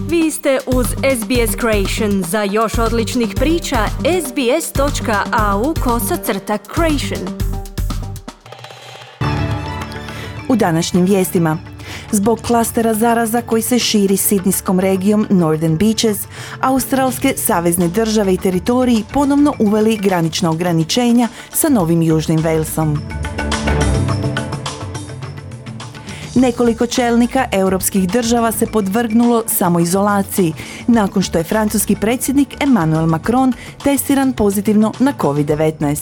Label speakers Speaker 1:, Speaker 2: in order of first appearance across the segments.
Speaker 1: Vi ste uz SBS Creation. Za još odličnih priča, sbs.au/creation.
Speaker 2: U današnjim vijestima. Zbog klastera zaraza koji se širi sidnijskom regijom Northern Beaches, australske savezne države i teritoriji ponovno uveli granična ograničenja sa Novim Južnim Walesom. Nekoliko čelnika europskih država se podvrgnulo samoizolaciji nakon što je francuski predsjednik Emmanuel Macron testiran pozitivno na COVID-19.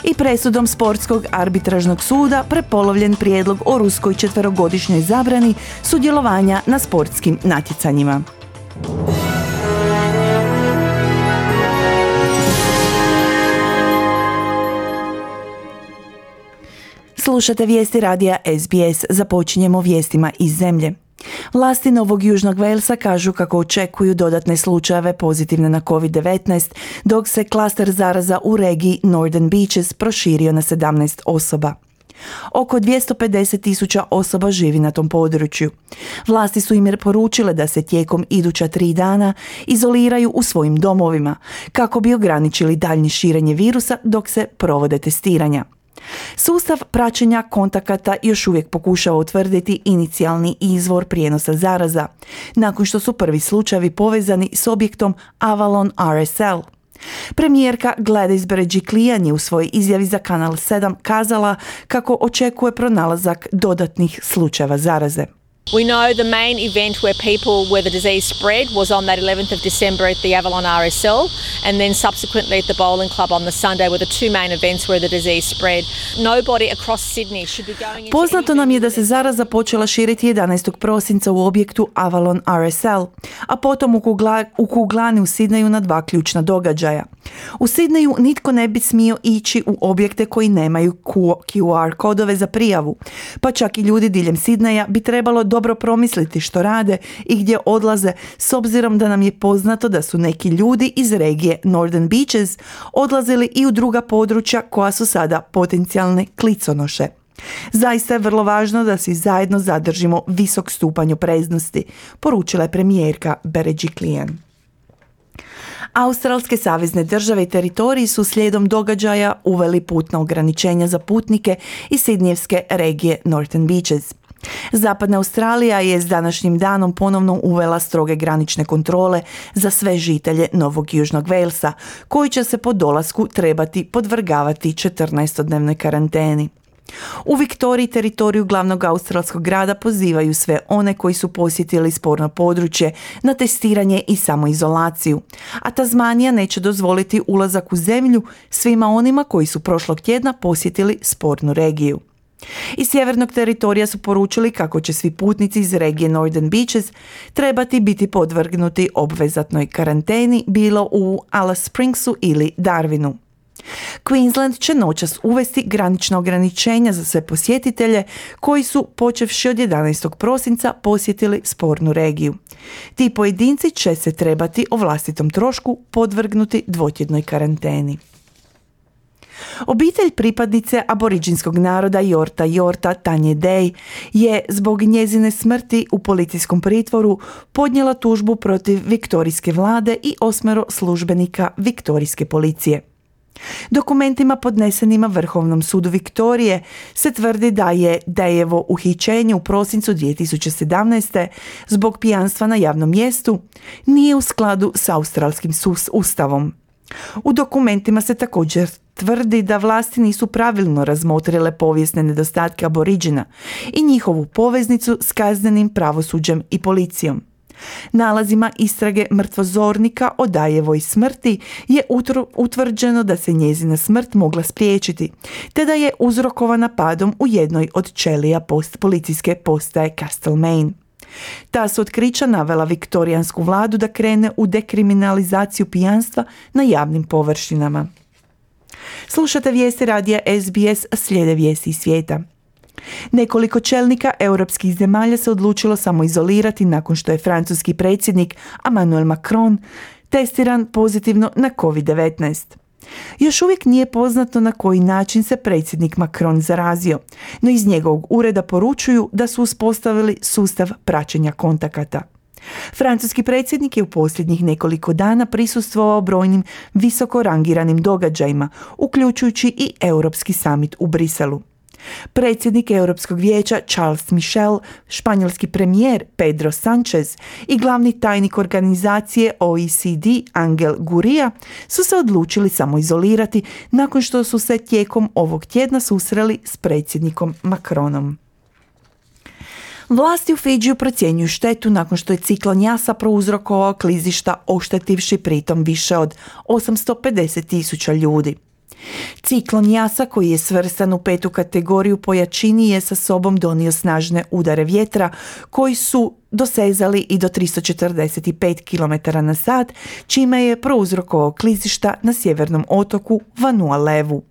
Speaker 2: I presudom sportskog arbitražnog suda prepolovljen prijedlog o ruskoj 4-godišnjoj zabrani sudjelovanja na sportskim natjecanjima. Slušate vijesti radija SBS. Započinjemo vijestima iz zemlje. Vlasti Novog Južnog Walesa kažu kako očekuju dodatne slučajeve pozitivne na COVID-19, dok se klaster zaraza u regiji Northern Beaches proširio na 17 osoba. Oko 250,000 osoba živi na tom području. Vlasti su im poručile da se tijekom iduća 3 dana izoliraju u svojim domovima, kako bi ograničili daljnje širenje virusa dok se provode testiranja. Sustav praćenja kontakata još uvijek pokušava utvrditi inicijalni izvor prijenosa zaraza, nakon što su prvi slučajevi povezani s objektom Avalon RSL. Premijerka Gladys Berejiklian je u svojoj izjavi za Kanal 7 kazala kako očekuje pronalazak dodatnih slučajeva zaraze.
Speaker 3: We know the main event where the disease spread was on that 11th of December at the Avalon RSL, and then subsequently at the bowling club on the Sunday were the two main events where the disease spread. Nobody across Sydney should be going into...
Speaker 2: Poznato nam je da se zaraza počela širiti 11. prosinca u objektu Avalon RSL, a potom u kuglani u Sidneju na 2 ključna događaja. U Sidneju nitko ne bi smio ići u objekte koji nemaju QR kodove za prijavu, pa čak i ljudi diljem Sidneja bi trebalo dobro promisliti što rade i gdje odlaze, s obzirom da nam je poznato da su neki ljudi iz regije Northern Beaches odlazili i u druga područja koja su sada potencijalne kliconoše. Zaista je vrlo važno da svi zajedno zadržimo visok stupanj opreznosti, poručila je premijerka Berejiklian. Australske savezne države i teritoriji su slijedom događaja uveli putna ograničenja za putnike iz sidnijevske regije Northern Beaches. Zapadna Australija je s današnjim danom ponovno uvela stroge granične kontrole za sve žitelje Novog Južnog Walesa, koji će se po dolasku trebati podvrgavati 14-dnevnoj karanteni. U Viktoriji, teritoriju glavnog australskog grada, pozivaju sve one koji su posjetili sporno područje na testiranje i samoizolaciju, a Tasmanija neće dozvoliti ulazak u zemlju svima onima koji su prošlog tjedna posjetili spornu regiju. Iz sjevernog teritorija su poručili kako će svi putnici iz regije Northern Beaches trebati biti podvrgnuti obvezatnoj karanteni bilo u Alice Springsu ili Darwinu. Queensland će noćas uvesti granična ograničenja za sve posjetitelje koji su počevši od 11. prosinca posjetili spornu regiju. Ti pojedinci će se trebati o vlastitom trošku podvrgnuti dvotjednoj karanteni. Obitelj pripadnice aboriđinskog naroda Yorta Tanje Day je zbog njezine smrti u policijskom pritvoru podnijela tužbu protiv viktorijske vlade i 8 službenika viktorijske policije. Dokumentima podnesenima Vrhovnom sudu Viktorije se tvrdi da je Dayevo uhićenje u prosincu 2017. zbog pijanstva na javnom mjestu nije u skladu s australskim ustavom. U dokumentima se također tvrdi da vlasti nisu pravilno razmotrile povijesne nedostatke aboriđina i njihovu poveznicu s kaznenim pravosuđem i policijom. Nalazima istrage mrtvozornika o Dayevoj smrti je utvrđeno da se njezina smrt mogla spriječiti, te da je uzrokovana padom u jednoj od ćelija policijske postaje Castlemaine. Ta su otkrića navela viktorijansku vladu da krene u dekriminalizaciju pijanstva na javnim površinama. Slušate vijesti radija SBS, slijede vijesti iz svijeta. Nekoliko čelnika europskih zemalja se odlučilo samoizolirati nakon što je francuski predsjednik Emmanuel Macron testiran pozitivno na COVID-19. Još uvijek nije poznato na koji način se predsjednik Macron zarazio, no iz njegovog ureda poručuju da su uspostavili sustav praćenja kontakata. Francuski predsjednik je u posljednjih nekoliko dana prisustvovao brojnim visoko rangiranim događajima, uključujući i Europski summit u Briselu. Predsjednik Europskog vijeća Charles Michel, španjolski premijer Pedro Sanchez i glavni tajnik organizacije OECD Angel Gurria su se odlučili samoizolirati nakon što su se tijekom ovog tjedna susreli s predsjednikom Macronom. Vlasti u Fidžiju procjenjuju štetu nakon što je ciklon Jasa prouzrokovao klizišta, oštetivši pritom više od 850.000 ljudi. Ciklon Jasa, koji je svrstan u 5. kategoriju po jačini, je sa sobom donio snažne udare vjetra koji su dosezali i do 345 km/h, čime je prouzrokovao klizišta na sjevernom otoku Vanuatu.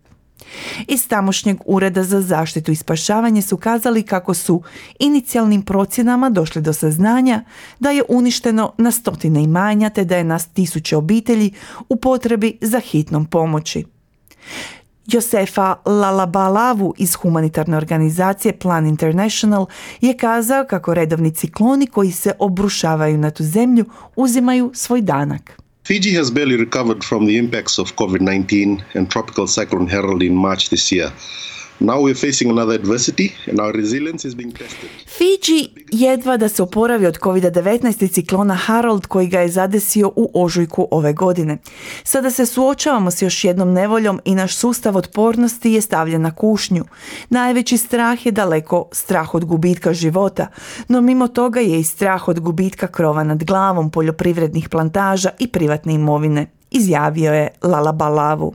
Speaker 2: Iz tamošnjeg ureda za zaštitu i spašavanje su kazali kako su inicijalnim procjenama došli do saznanja da je uništeno na stotine imanja te da je na tisuće obitelji u potrebi za hitnom pomoći. Josefa Lalabalavu iz humanitarne organizacije Plan International je kazao kako redovni cikloni koji se obrušavaju na tu zemlju uzimaju svoj danak.
Speaker 4: Fiji has barely recovered from the impacts of COVID-19 and Tropical Cyclone Harold in March this year. Now we're facing another adversity and our resilience is being tested.
Speaker 2: Fiji jedva da se oporavi od COVID-19 i ciklona Harold koji ga je zadesio u ožujku ove godine. Sada se suočavamo s još jednom nevoljom i naš sustav otpornosti je stavljen na kušnju. Najveći strah je daleko strah od gubitka života, no mimo toga je i strah od gubitka krova nad glavom, poljoprivrednih plantaža i privatne imovine, izjavio je Lalabalavu.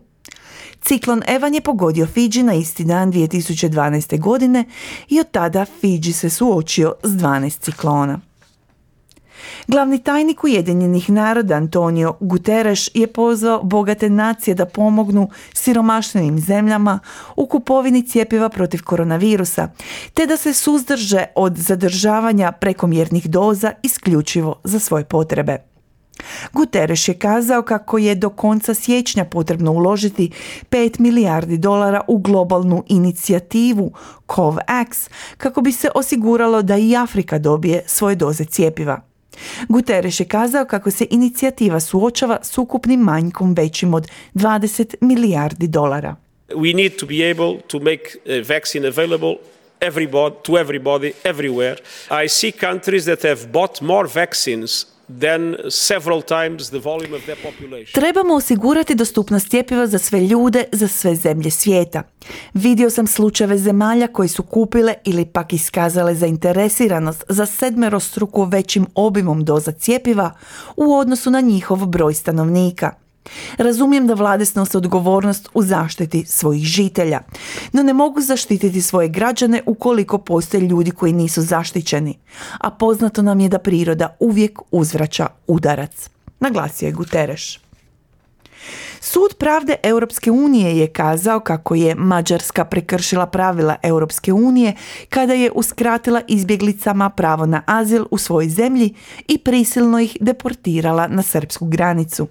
Speaker 2: Ciklon Evan je pogodio Fidži na isti dan 2012. godine i od tada Fidži se suočio s 12 ciklona. Glavni tajnik Ujedinjenih naroda Antonio Guterres je pozvao bogate nacije da pomognu siromašnim zemljama u kupovini cjepiva protiv koronavirusa, te da se suzdrže od zadržavanja prekomjernih doza isključivo za svoje potrebe. Guterres je kazao kako je do konca siječnja potrebno uložiti $5 milijardi u globalnu inicijativu COVAX kako bi se osiguralo da i Afrika dobije svoje doze cjepiva. Guterres je kazao kako se inicijativa suočava s ukupnim manjkom većim od $20 milijardi.
Speaker 5: We need to be able to make a vaccine available to everybody, everywhere. I see countries that have bought more vaccines than several times the volume of their population.
Speaker 2: Trebamo osigurati dostupnost cjepiva za sve ljude, za sve zemlje svijeta. Vidio sam slučajeve zemalja koji su kupile ili pak iskazale zainteresiranost za 7-struko većim obimom doza cjepiva u odnosu na njihov broj stanovnika. Razumijem da vlade snose odgovornost u zaštiti svojih žitelja, no ne mogu zaštititi svoje građane ukoliko postoje ljudi koji nisu zaštićeni, a poznato nam je da priroda uvijek uzvraća udarac, naglasio je Guterres. Sud pravde Europske unije je kazao kako je Mađarska prekršila pravila Europske unije kada je uskratila izbjeglicama pravo na azil u svojoj zemlji i prisilno ih deportirala na srpsku granicu.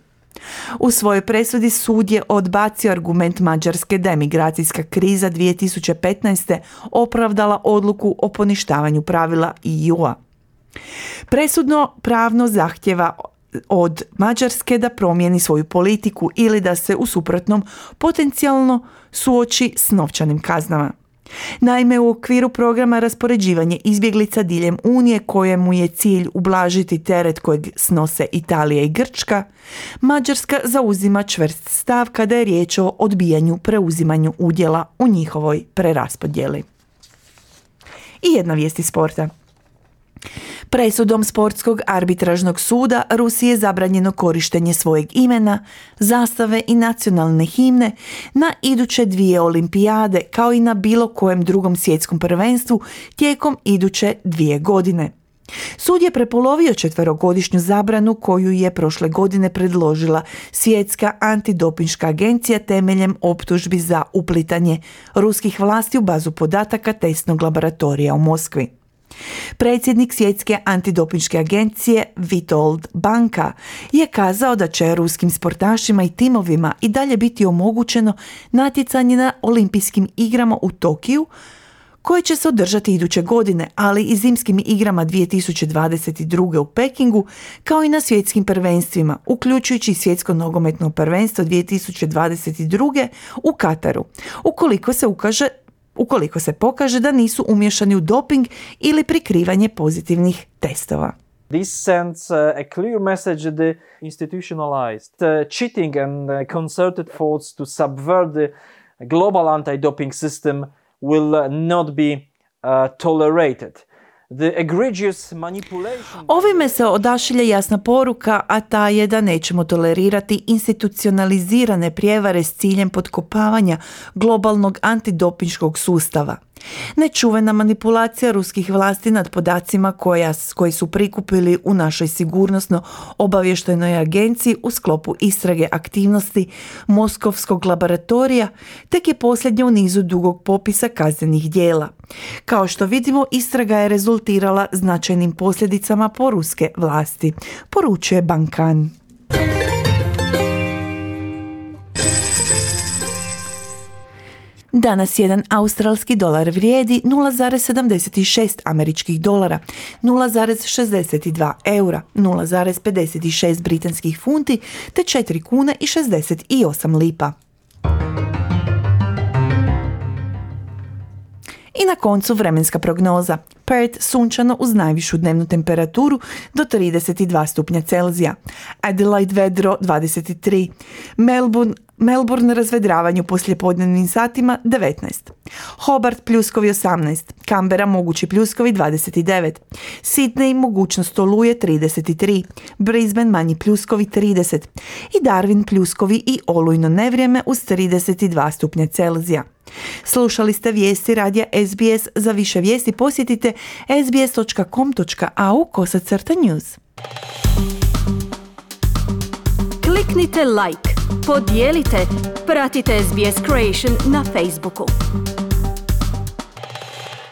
Speaker 2: U svojoj presudi sud je odbacio argument Mađarske da je migracijska kriza 2015. opravdala odluku o poništavanju pravila EU-a. Presudno pravno zahtjeva od Mađarske da promijeni svoju politiku ili da se u suprotnom potencijalno suoči s novčanim kaznama. Naime, u okviru programa raspoređivanje izbjeglica diljem Unije, kojemu je cilj ublažiti teret kojeg snose Italija i Grčka, Mađarska zauzima čvrst stav kada je riječ o odbijanju preuzimanju udjela u njihovoj preraspodjeli. I jedna vijest iz sporta. Presudom Sportskog arbitražnog suda Rusiji je zabranjeno korištenje svojeg imena, zastave i nacionalne himne na iduće 2 olimpijade kao i na bilo kojem drugom svjetskom prvenstvu tijekom iduće 2 godine. Sud je prepolovio 4-godišnju zabranu koju je prošle godine predložila Svjetska antidopinška agencija temeljem optužbi za uplitanje ruskih vlasti u bazu podataka testnog laboratorija u Moskvi. Predsjednik Svjetske antidopinške agencije Vitold Banka je kazao da će ruskim sportašima i timovima i dalje biti omogućeno natjecanje na olimpijskim igrama u Tokiju, koje će se održati iduće godine, ali i zimskim igrama 2022. u Pekingu, kao i na svjetskim prvenstvima, uključujući svjetsko nogometno prvenstvo 2022. u Kataru, ukoliko se pokaže da nisu umiješani u doping ili prikrivanje pozitivnih testova.
Speaker 6: This sends a clear message that the institutionalized cheating and concerted efforts to subvert the global anti-doping system will not be tolerated. The egregious manipulation...
Speaker 2: Ovime se odašilje jasna poruka, a ta je da nećemo tolerirati institucionalizirane prijevare s ciljem potkopavanja globalnog antidopinškog sustava. Nečuvena manipulacija ruskih vlasti nad podacima koji su prikupili u našoj sigurnosno-obavještajnoj agenciji u sklopu istrage aktivnosti Moskovskog laboratorija tek je posljednja u nizu dugog popisa kaznenih djela. Kao što vidimo, istraga je rezultirala značajnim posljedicama po ruske vlasti, poručuje Bankan. Danas jedan australski dolar vrijedi 0,76 američkih dolara, 0,62 eura, 0,56 britanskih funti te 4 kune i 68 lipa. I na koncu vremenska prognoza. Perth sunčano uz najvišu dnevnu temperaturu do 32 stupnja Celzija. Adelaide vedro 23. Melbourne razvedravanje u poslijepodnevnim satima 19. Hobart pljuskovi 18. Canberra mogući pljuskovi 29. Sydney mogućnost oluje 33. Brisbane manji pljuskovi 30. I Darwin pljuskovi i olujno nevrijeme uz 32 stupnja Celzija. Slušali ste vijesti radija SBS. Za više vijesti posjetite sbs.com.au/news.
Speaker 1: Kliknite like, podijelite, pratite SBS Creation na Facebooku.